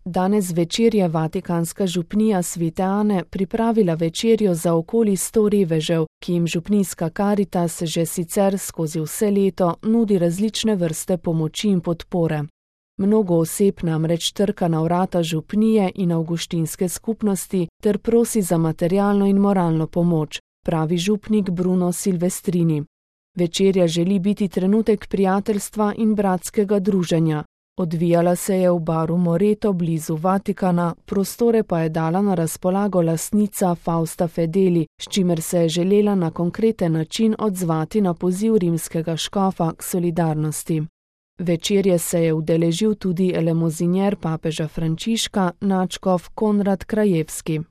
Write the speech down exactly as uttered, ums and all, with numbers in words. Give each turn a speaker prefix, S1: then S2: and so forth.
S1: Danes zvečer je vatikanska župnija Svete Ane pripravila večerjo za okoli sto revežev, ki jim župnijska Karitas že sicer skozi vse leto nudi različne vrste pomoči in podpore. Mnogo oseb namreč trka na vrata župnije in avguštinske skupnosti ter prosi za materialno in moralno pomoč, pravi župnik Bruno Silvestrini. Večerja želi biti trenutek prijateljstva in bratskega druženja. Odvijala se je v baru Moreto blizu Vatikana, prostore pa je dala na razpolago lastnica Fausta Fedeli, s čimer se je želela na konkreten način odzvati na poziv rimskega škofa k solidarnosti. Večerje se je udeležil tudi elemozinjer papeža Frančiška, nadškof Konrad Krajevski.